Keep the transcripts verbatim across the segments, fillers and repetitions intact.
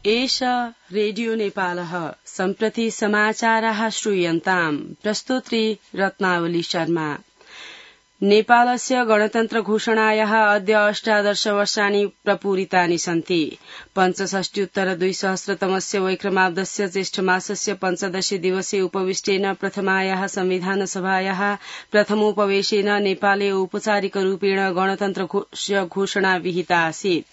एष रेडियो नेपालः सम्प्रति समाचाराः श्रूयन्ताम् प्रस्तोत्री रत्नावली शर्मा। नेपालस्य गणतन्त्र घोषणायाः अद्य अष्टादश वर्षाणि प्रपूरितानि सन्ति। पञ्चषष्ट्युत्तर द्विसहस्रतमस्य वैक्रमाब्दस्य ज्येष्ठमासस्य पञ्चदशे दिवसे उपविष्टेन प्रथमायाः संविधानसभायाः प्रथमोपवेशेन नेपाले औपचारिकरूपेण गणतन्त्र घोषणा विहिता आसीत्।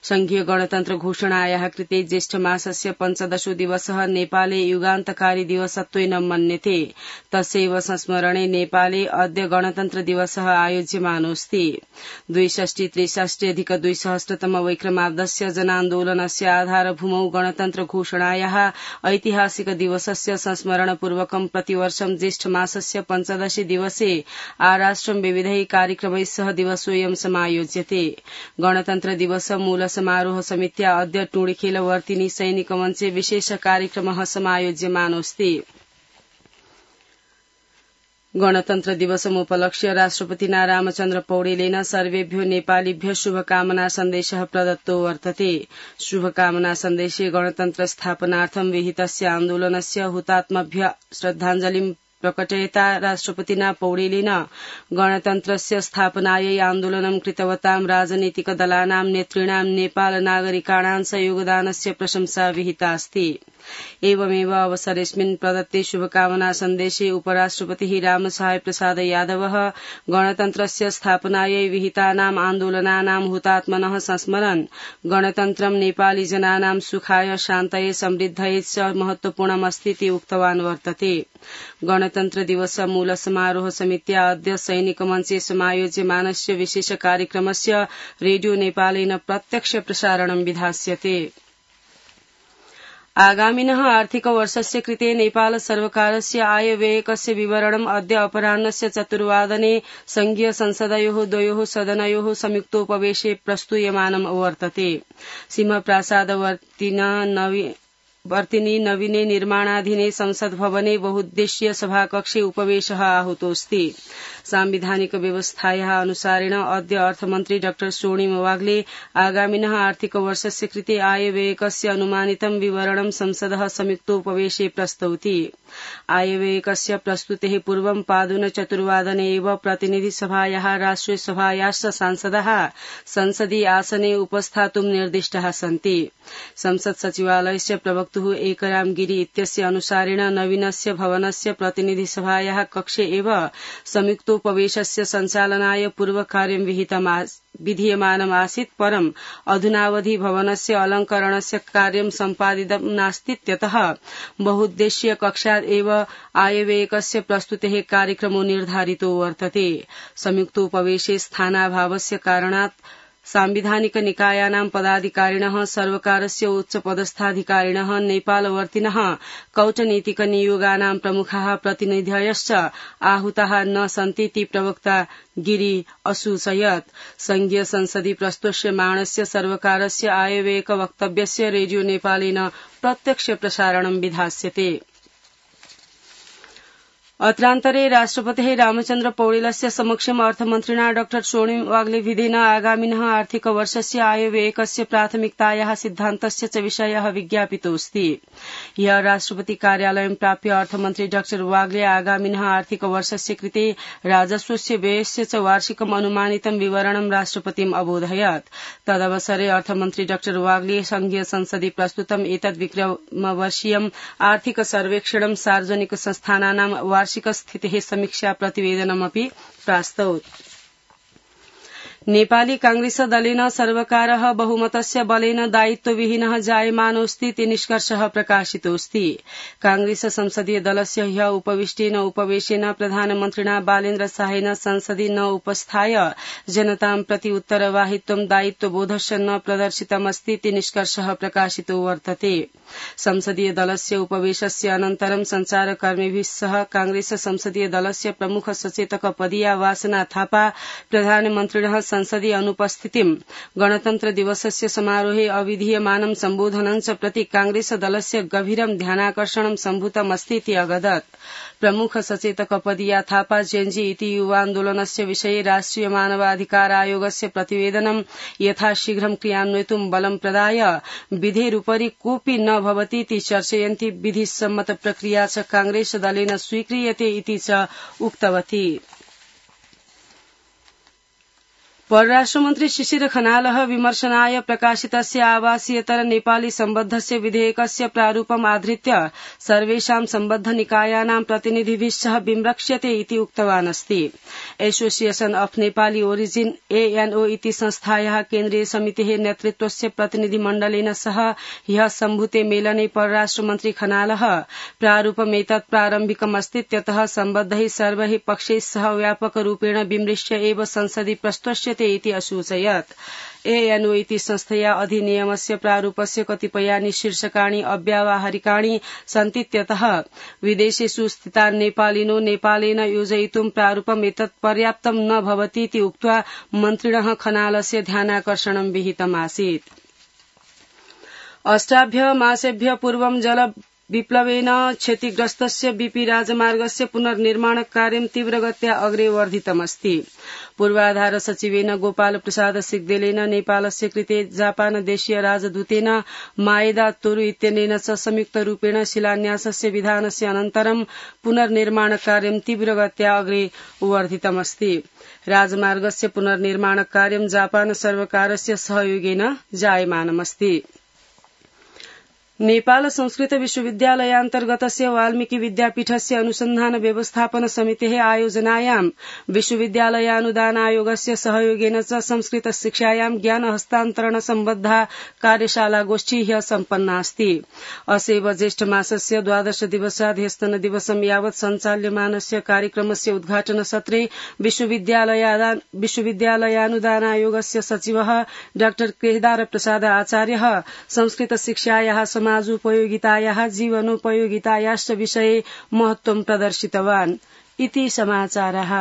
संघीय गणतन्त्र घोषणायाः कृते ज्येष्ठमासस्य पञ्चदशो दिवसः नेपाले युगान्तकारी दिवसत्वेन मन्यते। तस्यैव संस्मरणे नेपाले अद्य गणतन्त्र दिवस आयोज्यमानोऽस्ति। द्विषष्टि त्रिषष्ट्यधिक द्विसहस्रतम वैक्रमाब्दस्य जनान्दोलनस्य आधारभूमौ गणतन्त्र घोषणायाः ऐतिहासिक दिवसस्य संस्मरणपूर्वकं प्रतिवर्षं ज्येष्ठमासस्य पञ्चदशे दिवसे आराष्ट्रं विविधैः कार्यक्रमैः सह दिवसोऽयं समायोज्यते। गणतन्त्र दिवस मूल समारोह समित्या अद्य टुणिखेलवर्तिनी सैनिकमञ्चे विशेष कार्यक्रमः समायोज्यमानोऽस्ति। गणतन्त्र दिवसमुपलक्ष्य राष्ट्रपतिना रामचन्द्र पौडेलेन सर्वेभ्यो नेपालीभ्य शुभकामना सन्देशः प्रदत्तो वर्तते। शुभकामना सन्देशे गणतन्त्र स्थापनार्थं विहितस्य आन्दोलनस्य हुतात्मभ्य श्रद्धाञ्जलिं प्रकटयता राष्ट्रपतिना पौडेलेन गणतन्त्रस्य स्थापनायै आन्दोलनं कृतवतां राजनीतिक दलानां नेतॄणां नेपाल नागरिकाणां च योगदानस्य प्रशंसा विहिता अस्ति। एवमेव अवसरेऽस्मिन् प्रदत्ते शुभकामना सन्देशे उपराष्ट्रपतिः रामसहाय प्रसाद यादवः गणतन्त्रस्य स्थापनायै विहितानाम् आन्दोलनानां हुतात्मनः संस्मरन् गणतन्त्रं नेपाली जनानां सुखाय शान्तये समृद्धये च महत्वपूर्णमस्तीति उक्तवान् वर्तते। गणतन्त्र दिवस मूल समारोह समित्या अद्य सैनिकमञ्चे समायोज्यमानस्य विशेष कार्यक्रमस्य रेडियो नेपालेन प्रत्यक्ष प्रसारणं विधास्यते। आगामिनः आर्थिक वर्षस्य कृते नेपाल सर्वकारस्य आयव्ययकस्य विवरणम् अद्य अपराह्नस्य चतुर्वादने संघीय संसदयोः द्वयोः सदनयोः संयुक्तोपवेशे प्रस्तूयमानम् वर्तते। सिंहप्रासादवर्तिना नवी वर्तिनी नवीने निर्माणाधीने संसद भवने बहुद्देश्यीय सभाकक्षे उपवेशः आहूतोऽस्ति। सांविधानिक व्यवस्थायाः अनुसारेण अद्य अर्थमन्त्री डाक्टर स्वर्णिम वाग्ले आगामिनः आर्थिक वर्षस्य कृते आयव्ययकस्य अनुमानितं विवरणं संसदः संयुक्तोपवेशे प्रस्तौति। आयव्ययकस्य प्रस्तुतेः पूर्वं पादुन चतुर्वादने एव प्रतिनिधिसभायाः राष्ट्रियसभायाश्च सांसदाः संसदीय आसने उपस्थातुं निर्दिष्टाः सन्ति। संसद सचिवालयस्य प्रवक्तुः एकराम गिरी इत्यस्य अनुसारेण नवीनस्य भवनस्य प्रतिनिधिसभायाः कक्षे एव संयुक्तोपवेशस्य सञ्चालनाय पूर्वकार्यं विधीयमानम् आसीत्, परम् अधुनावधि भवनस्य अलङ्करणस्य कार्यं सम्पादितं नास्तीत्यतः बहुद्देश्यीय कक्षात् एव आयव्ययकस्य प्रस्तुतेः कार्यक्रमो निर्धारितो वर्तते। संयुक्तोपवेशे स्थानाभावस्य कारणात् सांविधानिक निकायानां पदाधिकारिणः सर्वकारस्य उच्चपदस्थाधिकारिणः नेपालवर्तिनः कौटनीतिक नियोगानां प्रमुखाः प्रतिनिधयश्च आहूताः न सन्तीति प्रवक्ता गिरी असूचयत्। संघीय संसदि प्रस्तुष्यमाणस्य सर्वकारस्य आयव्ययक वक्तव्यस्य रेडियो नेपालेन प्रत्यक्ष प्रसारणं विधास्यते। अत्रान्तरे राष्ट्रपतेः रामचन्द्र पौडेलस्य समक्षम् अर्थमन्त्रिणा डाक्टर स्वर्णिम वाग्ले विधेन आगामिनः आर्थिक वर्षस्य आयव्ययकस्य प्राथमिकतायाः सिद्धान्तस्य च विषयः विज्ञापितोऽस्ति। ह्यः राष्ट्रपति कार्यालयं प्राप्य अर्थमन्त्री डाक्टर वाग्ले आगामिनः आर्थिक वर्षस्य कृते राजस्वस्य व्ययस्य च वार्षिकम् अनुमानितं विवरणं राष्ट्रपतिम् अबोधयत्। तदवसरे अर्थमन्त्री डाक्टर वाग्ले संघीय संसदि प्रस्तुतम् एतद् विक्रमवर्षीयम् आर्थिक सर्वेक्षणं सार्वजनिक संस्थानानां वार्षिक स्थितेः समीक्षा प्रतिवेदनमपि प्रास्तौत्। नेपाली कांग्रेस दलेन सर्वकारः बहुमतस्य बलेन दायित्वविहीनः जायमानोऽस्ति इति निष्कर्षः प्रकाशितोऽस्ति। कांग्रेस संसदीय दलस्य ह्यः उपविष्टेन उपवेशेन प्रधानमन्त्रिणा बालेन्द्र शाहेन संसदि न उपस्थाय जनतां प्रति उत्तरवाहित्वं दायित्वबोधश्च न प्रदर्शितमस्ति इति निष्कर्षः प्रकाशितो वर्तते। संसदीय दलस्य उपवेशस्य अनन्तरं सञ्चारकर्मिभिः सह कांग्रेस संसदीय दलस्य प्रमुख सचेतक पदीया वासना थापा प्रधानमन्त्रिणः संसदि अनुपस्थितिम् गणतन्त्र दिवसस्य समारोहे अविधीयमानं सम्बोधनं च प्रति कांग्रेस दलस्य गभीरं ध्यानाकर्षणं सम्भूतमस्तीति अगदत्। प्रमुख सचेतक पदिया थापा जेएनजी इति युवान्दोलनस्य विषये राष्ट्रिय मानवाधिकार आयोगस्य प्रतिवेदनं यथाशीघ्रं क्रियान्वयितुं बलं प्रदाय विधेरुपरि कोऽपि न भवतीति चर्चयन्ती विधिसम्मत प्रक्रिया च कांग्रेस दलेन स्वीक्रियते इति च उक्तवती। परराष्ट्रमन्त्री शिशिर खनालः विमर्शनाय प्रकाशितस्य आवासीयतर नेपाली सम्बद्धस्य विधेयकस्य प्रारूपम् आधृत्य सर्वेषां सम्बद्धनिकायानां प्रतिनिधिभिः सह विमृक्ष्यते इति उक्तवान् अस्ति। एसोसिएशन अफ नेपाली ओरिजिन एएनओ इति संस्थायाः केन्द्रीय समितेः नेतृत्वस्य प्रतिनिधिमण्डलेन सह ह्यः सम्भूते मेलने परराष्ट्रमन्त्री खनालः प्रारूपमेतत् प्रारम्भिकमस्तीत्यतः सम्बद्धैः सर्वैः पक्षैः सह व्यापकरूपेण विमृश्य एव संसदि प्रस्तुष्यते इति असूचयत्। एएनओ इति संस्थया अधिनियमस्य प्रारूपस्य कतिपयानि शीर्षकाणि अव्यावहारिकाणि सन्तीत्यतः विदेशेषु स्थितान् नेपालिनो नेपालेन योजयितुं प्रारूपम् एतत् पर्याप्तं न भवतीति उक्त्वा मन्त्रिणः खनालस्य ध्यानाकर्षणं विहितमासीत्। अष्टाभ्य मासेभ्य पूर्वं जल विप्लवेन क्षतिग्रस्तस्य बीपी राजमार्गस्य पुनर्निर्माण कार्यं तीव्रगत्या अग्रे वर्धितमस्ति। पूर्वाधार सचिवेन गोपाल प्रसाद सिग्देलेन नेपालस्य कृते जापान देशीय राजदूतेन माएदा तोरु इत्यनेन च संयुक्तरूपेण शिलान्यासस्य विधानस्य अनन्तरं पुनर्निर्माण कार्यं तीव्रगत्या अग्रे वर्धितमस्ति। राजमार्गस्य पुनर्निर्माण कार्यं जापान सर्वकारस्य सहयोगेन जायमानमस्ति। नेपाल संस्कृत विश्वविद्यालयान्तर्गतस्य वाल्मीकि विद्यापीठस्य अनुसन्धान व्यवस्थापन समितेः आयोजनायां विश्वविद्यालयानुदान आयोगस्य सहयोगेन च संस्कृत शिक्षायां ज्ञान हस्तान्तरण सम्बद्धा कार्यशाला गोष्ठी ह्यः सम्पन्ना अस्ति। असेव ज्येष्ठ मासस्य द्वादश दिवसात् ह्यस्तन दिवसं यावत् सञ्चाल्यमानस्य कार्यक्रमस्य उद्घाटन सत्रे विश्वविद्यालयानुदान आयोगस्य सचिवः डाक्टर केदार प्रसाद आचार्यः संस्कृत शिक्षायाः समाजोपयोगितायाः जीवनोपयोगितायाश्च विषये महत्त्वं प्रदर्शितवान् इति समाचारः।